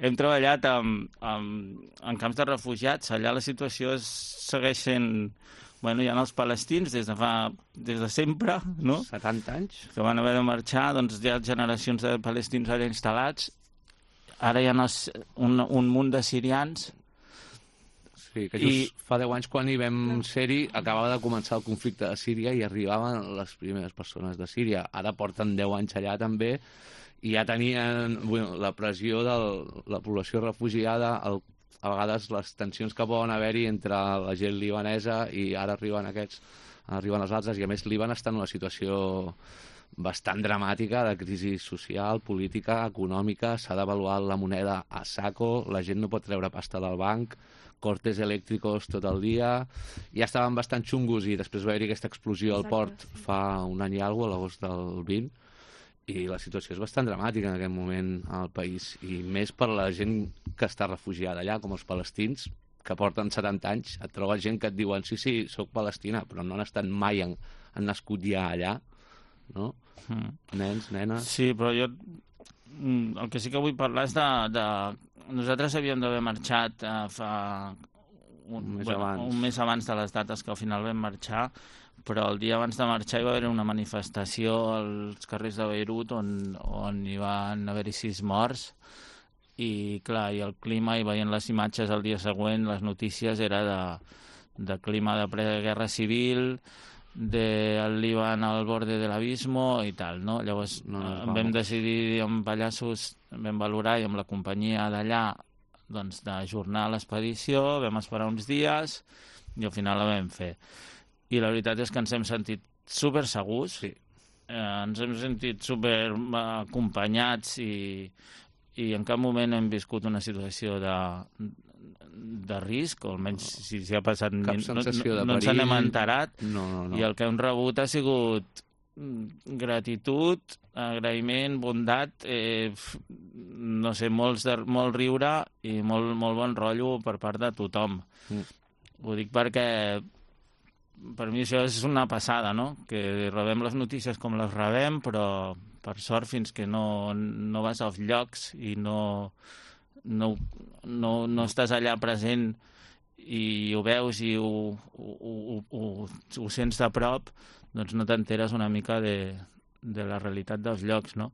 hem treballat en camps de refugiats. Allà la situació segueix sent... Bueno, hi ha els palestins des de sempre, no? 70 anys? Que van haver de marxar, doncs hi ha generacions de palestins allà instal·lats. Ara hi ha un munt de sirians. Sí, que just fa 10 anys quan hi vam ser-hi acabava de començar el conflicte de Síria i arribaven les primeres persones de Síria. Ara porten 10 anys allà també i ja tenien la pressió de la població refugiada, a vegades les tensions que poden haver-hi entre la gent libanesa i ara arriben els altres, i a més Líban està en una situació bastant dramàtica de crisi social, política, econòmica, s'ha devaluat la moneda a saco, la gent no pot treure pasta del banc, cortes elèctricos tot el dia, ja estaven bastant xungos i després va haver-hi aquesta explosió al port fa un any i alguna cosa, a l'agost del 20, i la situació és bastant dramàtica en aquest moment al país, i més per la gent que està refugiada allà, com els palestins, que porten 70 anys, et trobes gent que et diuen sí, soc palestina, però no han estat mai, han nascut ja allà, no? Nens, nenes... Sí, però jo el que sí que vull parlar és de... Nosaltres havíem d'haver marxat fa un mes abans de les dates que al final vam marxar, però el dia abans de marxar hi va haver una manifestació als carrers de Beirut on hi van haver-hi 6 morts i clar, i el clima, i veient les imatges el dia següent, les notícies era de clima de preguerra civil, del Líban al borde de l'abismo i tal, no? Llavors vam decidir amb Pallassos, vam valorar i amb la companyia d'allà doncs d'ajornar l'expedició, vam esperar uns dies i al final la vam fer. I la veritat és que ens hem sentit super segurs, sí. Ens hem sentit super acompanyats i en cap moment hem viscut una situació de risc, o almenys si ha passat cap sensació de perill, no ens n'hem enterat. No. I el que hem rebut ha sigut gratitud, agraïment, bondat, no sé, molt riure i molt bon rotllo per part de tothom. Ho dic perquè per mi això és una passada, no? Que rebem les notícies com les rebem, però per sort fins que no vas als llocs i no estàs allà present i ho veus i ho sents de prop, doncs no t'enteres una mica de la realitat dels llocs, no?